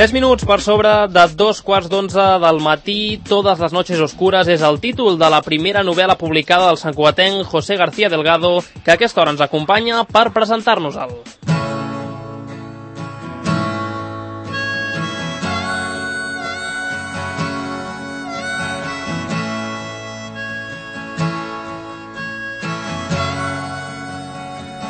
3 minuts per sobre de 2:15 del matí. Todas las noches oscuras és el títol de la primera novel·la publicada del santcugatenc José García Delgado, que a aquesta hora ens acompanya per presentar-nos-el.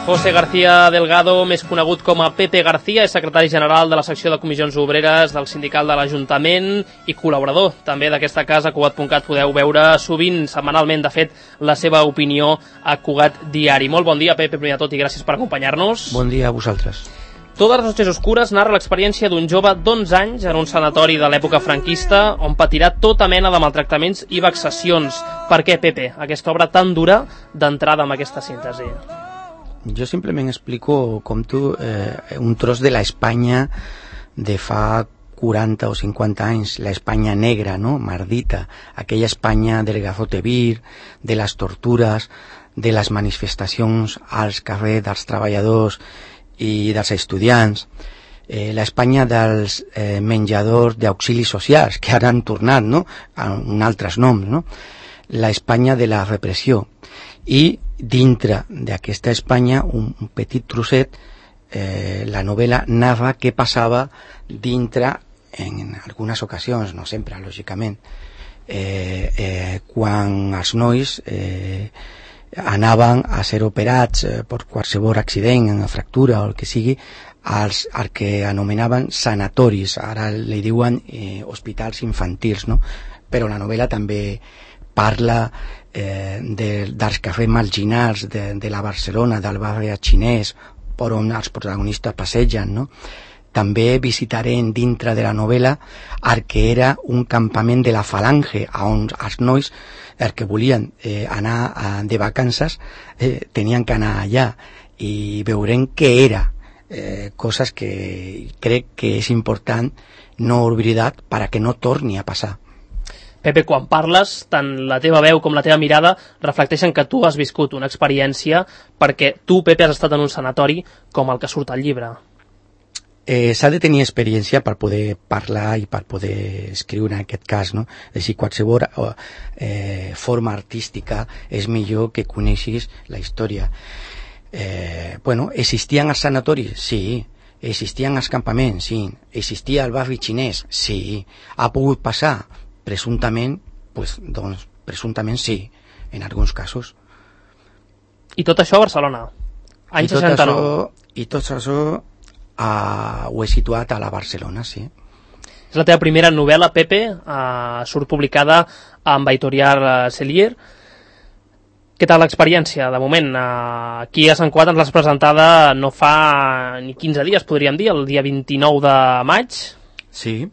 José García Delgado, més conegut com a Pepe García, és secretari general de la secció de comissions obreres del sindical de l'Ajuntament i col·laborador també d'aquesta casa. Cugat.cat podeu veure sovint, setmanalment, de fet, la seva opinió a Cugat Diari. Molt bon dia, Pepe, primer de tot, i gràcies per acompanyar-nos. Bon dia a vosaltres. Todas las noches oscures narra l'experiència d'un jove d'11 anys en un sanatori de l'època franquista on patirà tota mena de maltractaments i vexacions. Per què, Pepe, aquesta obra tan dura d'entrada amb aquesta síntesi? Jo simplement explico com tu un tros de la Espanya de fa 40 o 50 anys, la Espanya negra, no? Mardita, aquella Espanya del Gazote Vir, de les tortures, de les manifestacions als carrers dels treballadors i dels estudiants, la Espanya dels menjadors d'auxilis socials, que ara han tornat, no?, amb altres noms, no? La Espanya de la repressió. I dintre d'aquesta Espanya, un petit trosset, la novel·la narra què passava dintre, en algunes ocasions, no sempre, lògicament, quan els nois anaven a ser operats per qualsevol accident, una fractura o el que sigui, als que anomenaven sanatoris, ara li diuen hospitals infantils, no? Però la novel·la també parla dels carrers marginals de la Barcelona, del barri xinès, per on els protagonistes passegen, no? També visitarem dintre de la novel·la el que era un campament de la Falange, on els nois, els que volien anar de vacances, tenien que anar allà, i veurem què era, coses que crec que és important no oblidar perquè no torni a passar. Pepe, quan parles, tant la teva veu com la teva mirada reflecteixen que tu has viscut una experiència, perquè tu, Pepe, has estat en un sanatori com el que surt al llibre. S'ha de tenir experiència per poder parlar i per poder escriure en aquest cas, no? És a dir, qualsevol forma artística és millor que coneixis la història. Existien els sanatoris? Sí. Existien els campaments? Sí. Existia el barri xinès? Sí. Ha pogut passar? Presumptament, doncs presumptament sí, en alguns casos. I tot això a Barcelona, any 69. I tot això ho he situat a la Barcelona, sí. És la teva primera novel·la, Pepe, surt publicada amb Editorial Cellier. Què tal l'experiència, de moment? Aquí a Sant Cugat ens l'has presentada no fa ni 15 dies, podríem dir, el dia 29 de maig. Sí.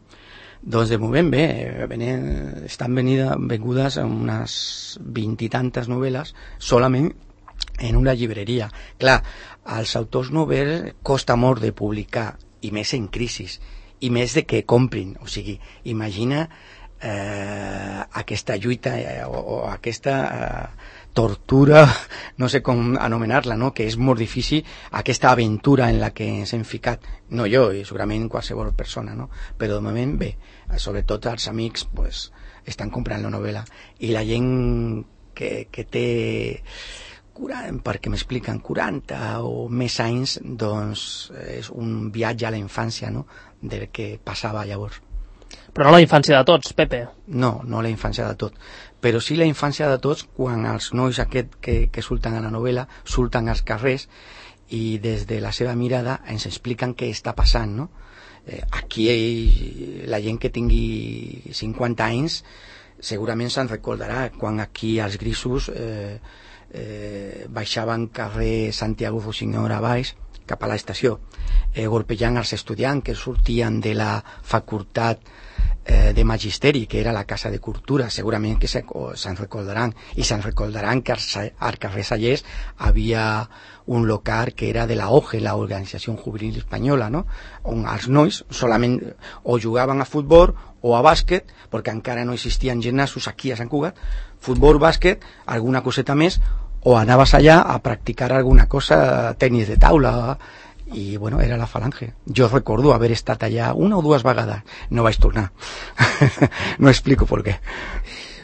Doncs de moment bé, estan vengudes unes 20 i tantes novel·les solament en una llibreria. Clar, als autors novel·les costa molt de publicar, i més en crisis, i més de que comprin. O sigui, imagina aquesta lluita o aquesta tortura, no sé com anomenar-la, no? Que és molt difícil, aquesta aventura en la que ens hem ficat, no jo, i segurament qualsevol persona, no? Però de moment bé, sobretot els amics estan comprant la novel·la, i la gent que té perquè m'expliquen 40 o més anys, doncs és un viatge a la infància, no?, del que passava llavors. Però no la infància de tots, Pepe. No la infància de tots, però sí la infància de tots quan els nois aquests que surten a la novel·la surten als carrers i des de la seva mirada ens expliquen què està passant, no? Aquí la gent que tingui 50 anys segurament se'n recordarà quan aquí els grisos baixaven carrer Santiago Fusignor a baix cap a l'estació, golpejant els estudiants que sortien de la facultat de magisteri, que era la Casa de Cultura. Segurament que se'n recordaran, i se'n recordaran que al carrer Sallés havia un local que era de la OGE, la Organització Juvenil Espanyola, no?, on els nois solament o jugaven a futbol o a bàsquet, perquè encara no existien gimnasos aquí a Sant Cugat, futbol, bàsquet, alguna coseta més, o anaves allà a practicar alguna cosa, tenis de taula, i bueno, era la Falange. Jo recordo haver estat allà una o dues vegades, no vaig tornar. No explico per què.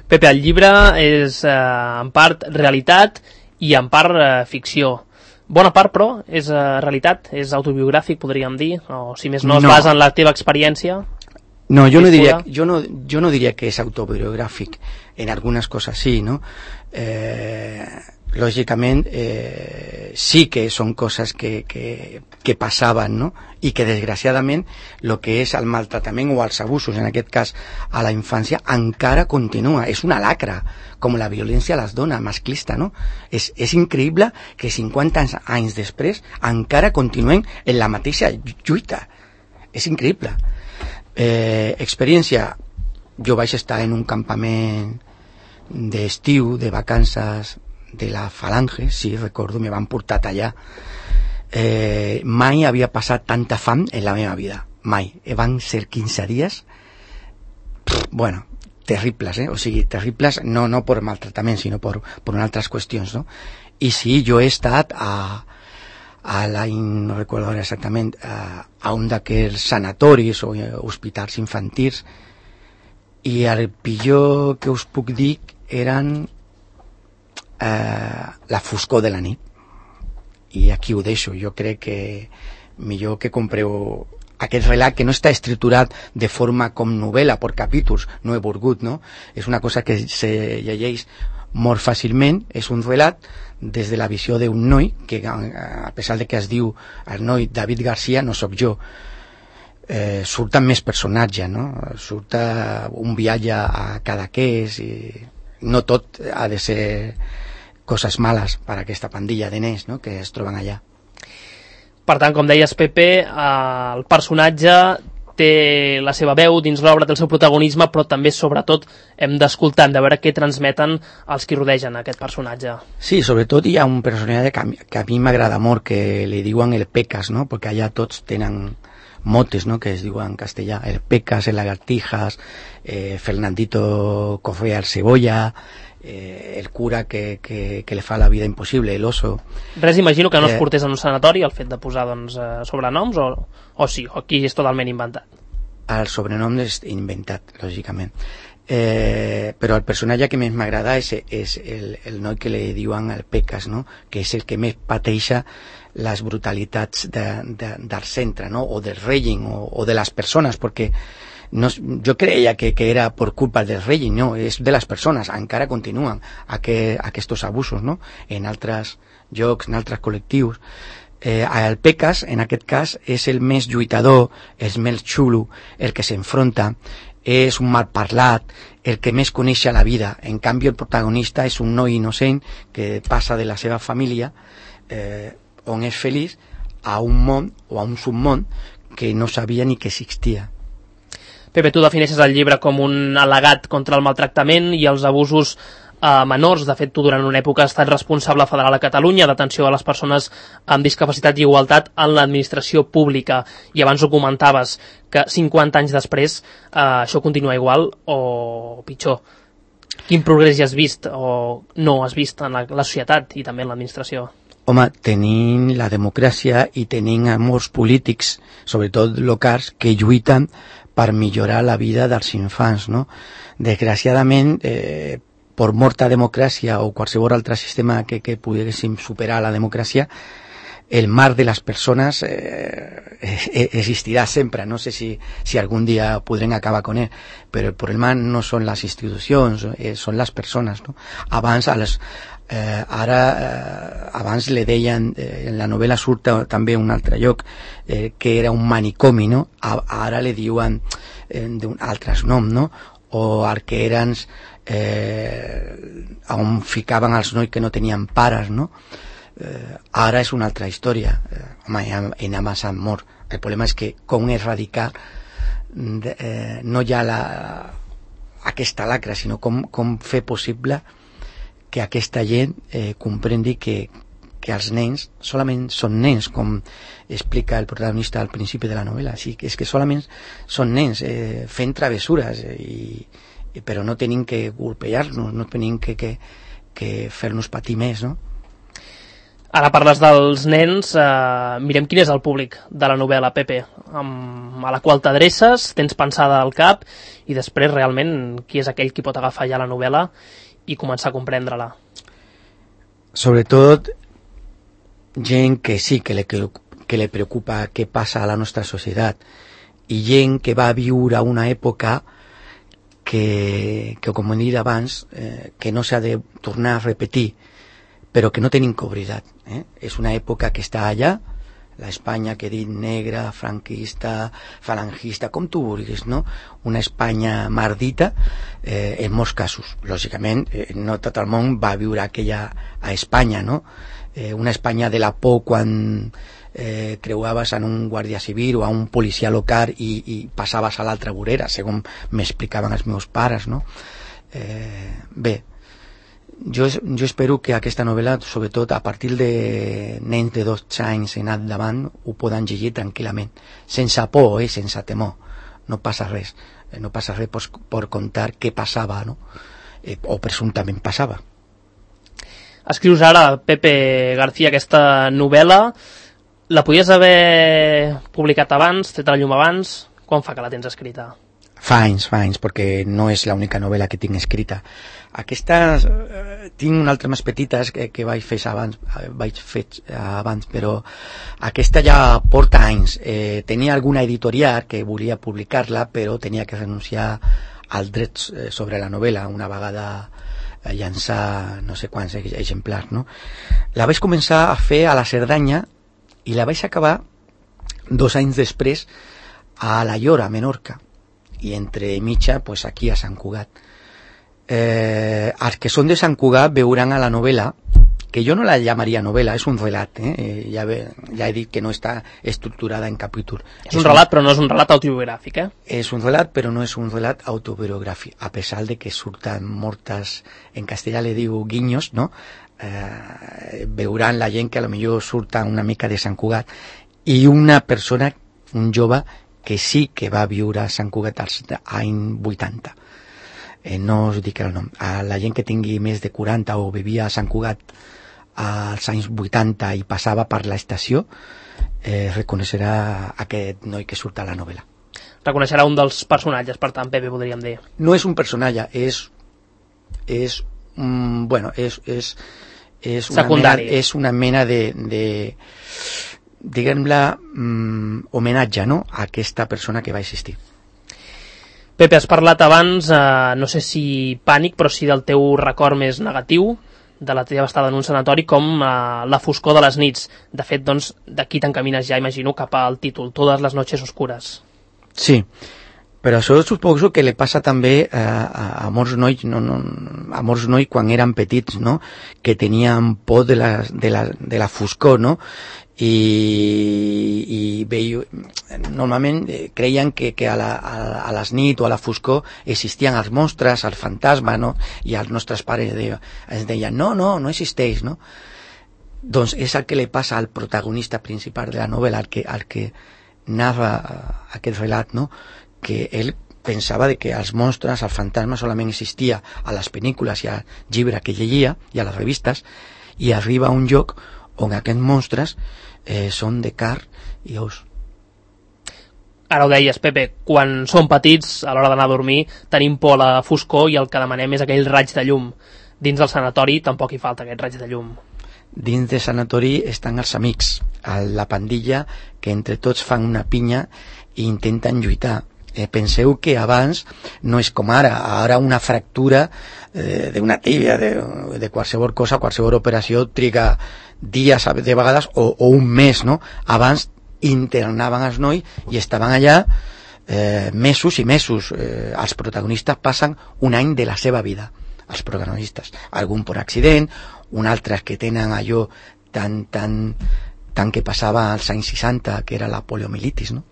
Pepe, el llibre és en part realitat i en part ficció. Bona part, però, és realitat, és autobiogràfic, podríem dir, o si més no es basa en la teva experiència. No, yo no diría que es autobiográfico. En algunas cosas sí, ¿no? Lógicamente, sí que son cosas que pasaban, ¿no? Y que desgraciadamente lo que es al maltratamiento o als abusos, en aquest cas a la infancia, encara continua. És una lacra, com la violència a les dones, masclista, no? És increïble que 50 anys després encara continuem en la mateixa lluita. És increïble. Experiència, jo vaig estar en un campament d'estiu, de vacances de la Falange, sí, recordo, me van portar allà. Mai havia passat tanta fam en la meva vida, mai. Van ser 15 dies, bueno, terribles, o sigui, terribles no per maltratament, sinó per altres qüestions, no? I sí, jo he estat no recuerdo ahora exactament, a un d'aquells sanatoris o hospitals infantils, i el pitjor que us puc dir eren la foscor de la nit. I aquí ho deixo. Jo crec que millor que compreu aquest relat, que no està estructurat de forma com novel·la, per capítols, no he volgut, no? És una cosa que se llegeix molt fàcilment, és un relat des de la visió d'un noi que, a pesar de que es diu el noi David García, no sóc jo. Surten més personatges, no? Surt un viatge a Cadaqués, i no tot ha de ser coses males per a aquesta pandilla de nens, no?, que es troben allà. Per tant, com deies, Pepe, el personatge té la seva veu dins l'obra, té el seu protagonisme, però també, sobretot, hem d'escoltar, de veure què transmeten els qui rodegen aquest personatge. Sí, sobretot hi ha un personatge que a mi m'agrada molt, que li diuen el Pecas, no?, perquè allà tots tenen motes, no?, que es diuen en castellà, el Pecas, el Lagartijas, Fernandito Correa el Cebolla, el cura que le fa la vida impossible, el oso. Res, imagino que no es portés en un sanatori el fet de posar, doncs, sobrenoms, o sí, o aquí és totalment inventat? El sobrenom és inventat, lògicament. Però el personatge que més m'agrada és el noi que li diuen el Pecas, no?, que és el que més pateixa les brutalitats del centre, no?, o del règim, o de les persones, perquè no, jo creia que era per culpa del règim, no, és de les persones, encara continuen aquests abusos, no?, en altres llocs, en altres col·lectius. El Pecas, en aquest cas, és el més lluitador, el més xulo, el que s'enfronta, és un malparlat, el que més coneix la vida. En canvi, el protagonista és un noi innocent que passa de la seva família, on és feliç, a un món o a un submón que no sabia ni que existia. Pepe, tu defineixes el llibre com un al·legat contra el maltractament i els abusos menors. De fet, tu durant una època has estat responsable federal a Catalunya d'atenció a les persones amb discapacitat i igualtat en l'administració pública, i abans ho comentaves, que 50 anys després això continua igual o pitjor. Quin progrés ja has vist o no has vist en la societat i també en l'administració? Home, tenim la democràcia i tenim molts polítics, sobretot locals, que lluiten per millorar la vida dels infants, no? Desgraciadament, per molta democràcia o qualsevol altre sistema que poguéssim superar la democràcia, el mar de les persones existirà sempre. No sé si algun dia podrem acabar con ell, però el problema no són les institucions, són les persones, no? Abans abans le deien, en la novel·la surt també un altre lloc, que era un manicomi, no? Ara le diuen d'un altres nom, no? O arquerans on ficaven els nois que no tenien pares, no? Ara és una altra història. Home, en avançat molt. El problema és que com erradicar no hi ha aquesta lacra, sinó com fer possible que aquesta gent comprengui que els nens solament són nens, com explica el protagonista al principi de la novel·la. Sí, és que solament són nens fent travessures, però no tenim que golpejar-nos, no tenim que fer-nos patir més, no? Ara parles dels nens, mirem quin és el públic de la novel·la, Pepe, a la qual t'adreces, tens pensada al cap, i després realment qui és aquell qui pot agafar ja la novel·la i començar a comprendre-la. Sobretot gent que sí que le preocupa què passa a la nostra societat, i gent que va viure una època que com hem dit abans, que no s'ha de tornar a repetir, però que no tenim que oblidar. És una època que està allà, la Espanya que he dit negra, franquista, falangista, com tu vulguis, no? Una Espanya mardita, en molts casos. Lògicament, no tot el món va viure aquella a Espanya, no? Una Espanya de la por quan creuaves en un guàrdia civil o a un policia local i passaves a l'altra vorera, segons m'explicaven els meus pares, no? Bé, jo espero que aquesta novel·la, sobretot a partir de nens de 12 anys en endavant, ho poden llegir tranquil·lament, sense por, sense temor. No passa res. No passa res per contar què passava, no? O presumptament passava. Escrius ara, Pepe García, aquesta novel·la. La podies haver publicat abans, tret a la llum abans? Quan fa que la tens escrita? Fa anys, perquè no és l'única novel·la que tinc escrita. Aquestes tinc una altra més petites que vaig fer abans, però aquesta ja porta anys. Tenia alguna editorial que volia publicar-la, però tenia que renunciar als drets sobre la novel·la una vegada llançar no sé quants exemplars, no? La vaig començar a fer a la Cerdanya i la vaig acabar 2 anys després a la Llora, a Menorca, i entre mitja pues, aquí a Sant Cugat. Els que són de Sant Cugat veuran a la novel·la, que jo no la llamaria novel·la, és un relat, ja he dit que no està estructurada en capítol. És un relat, però no és un relat autobiogràfic, És un relat, però no és un relat autobiogràfic, a pesar de que surten moltes, en castellà le diu guinyos, no? Veuran la gent que a lo millor surta una mica de Sant Cugat, i una persona, un jove, que sí que va viure a Sant Cugat als anys 80. No us dic el nom. A la gent que tingui més de 40 o vivia a Sant Cugat als anys 80 i passava per l'estació, reconeixerà aquest noi que surt a la novel·la. Reconeixerà un dels personatges, per tant, Pepe, podríem dir. No és un personatge, és secundari. És una mena de diguem-la, homenatge, no?, a aquesta persona que va existir. Pepe, has parlat abans, no sé si pànic, però sí del teu record més negatiu, de la teva estada en un sanatori, com la foscor de les nits. De fet, doncs, d'aquí t'encamines ja, imagino, cap al títol, Todas las noches oscuras. Sí, però això suposo que li passa també a molts nois, a molts nois quan eren petits, no?, que tenien por de la foscor, no?, i normalment creien que a les nit o a la foscor existien els monstres, els fantasmes, no? I els nostres pares ens deien no existeix, no? Doncs és el que li passa al protagonista principal de la novel·la, al que narra aquest relat, no? Que ell pensava que els monstres, els fantasmes solament existia a les pel·lícules i al llibre que llegia i a les revistes, i arriba a un lloc on aquests monstres són de carn i os. Ara ho deies, Pepe, quan som petits, a l'hora d'anar a dormir, tenim por a la foscor i el que demanem és aquell raig de llum. Dins del sanatori tampoc hi falta aquest raig de llum. Dins del sanatori estan els amics, la pandilla, que entre tots fan una pinya i intenten lluitar. Penseu que abans no és com ara una fractura d'una tíbia, de qualsevol cosa, qualsevol operació triga dies de vegades o un mes, no? Abans internaven els nois i estaven allà mesos i mesos. Els protagonistes passen un any de la seva vida, els protagonistes, algun per accident, un altre que tenen allò tan que passava als anys 60, que era la poliomielitis, no?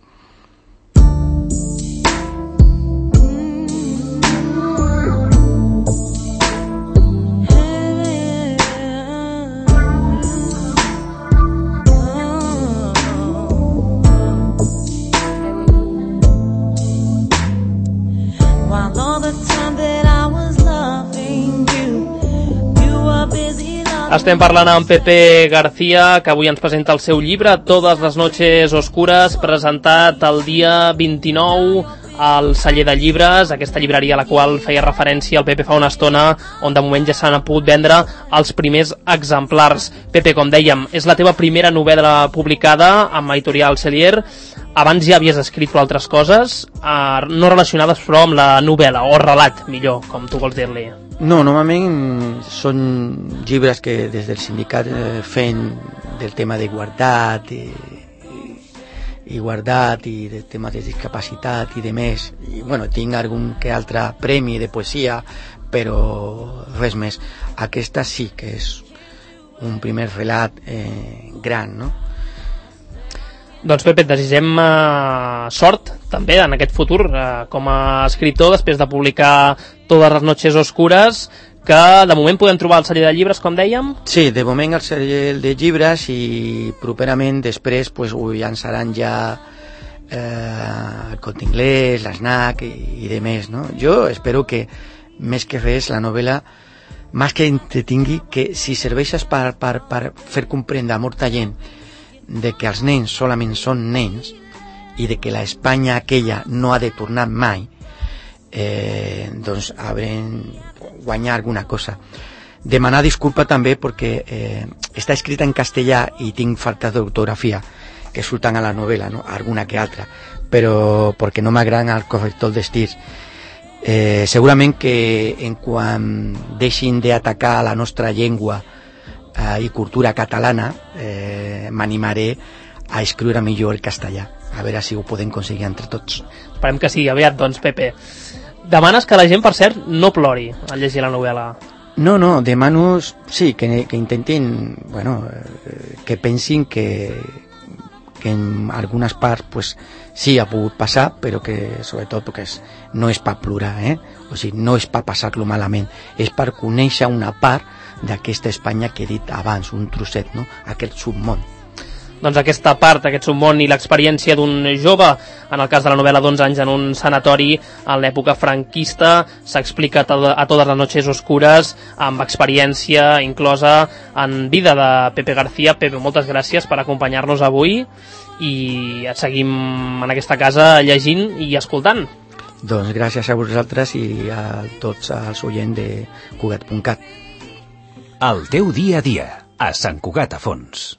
Estem parlant amb Pepe García, que avui ens presenta el seu llibre Todas las noches oscuras, presentat el dia 29 al celler de llibres, aquesta llibreria a la qual feia referència el Pepe fa una estona, on de moment ja s'han pogut vendre els primers exemplars. Pepe, com dèiem, és la teva primera novel·la publicada amb Editorial Cellier. Abans ja havies escrit altres coses, no relacionades però amb la novel·la, o relat, millor, com tu vols dir-li. No, normalment són llibres que des del sindicat fem del tema de guardat i del tema de discapacitat i de més. I, bueno, tinc algun que altre premi de poesia, però res més. Aquesta sí que és un primer relat gran, no? Doncs Pepe, et desitgem sort també en aquest futur com a escriptor, després de publicar Todas las noches oscuras, que de moment podem trobar al celler de llibres, com dèiem? Sí, de moment al celler de llibres, i properament després pues, ho llançaran ja el Corte Inglés, l'Snac i de més, no? Jo espero que més que res la novel·la, més que entretingui, que si serveixes per fer comprendre a molta gent de que els nens solament són nens i de que la Espanya aquella no ha de tornar mai, doncs haurem guanyar alguna cosa. Demanar disculpa també perquè està escrita en castellà i tinc faltes d'ortografia que surten a la novel·la, no? Alguna que altra, però perquè no m'agraden el corrector d'estirs. Segurament que en quan deixin d'atacar la nostra llengua i cultura catalana, m'animaré a escriure millor el castellà, a veure si ho podem aconseguir entre tots. Esperem que sigui aviat, doncs, Pepe. Demanes que la gent, per cert, no plori al llegir la novel·la. No, demano, sí, que intentin, bueno, que pensin que en algunes parts pues, sí ha pogut passar, però que sobretot perquè no és per plorar, o sigui, no és per passar-lo malament, és per conèixer una part d'aquesta Espanya que he dit abans, un trosset, no? Aquest submón. Doncs aquesta part, aquest submón i l'experiència d'un jove, en el cas de la novel·la d'11 anys en un sanatori en l'època franquista, s'explica a Todas las noches oscuras, amb experiència inclosa en vida de Pepe García. Pepe, moltes gràcies per acompanyar-nos avui i et seguim en aquesta casa llegint i escoltant. Doncs gràcies a vosaltres i a tots els oients de Cugat.cat. El teu dia a dia, a Sant Cugat a Fons.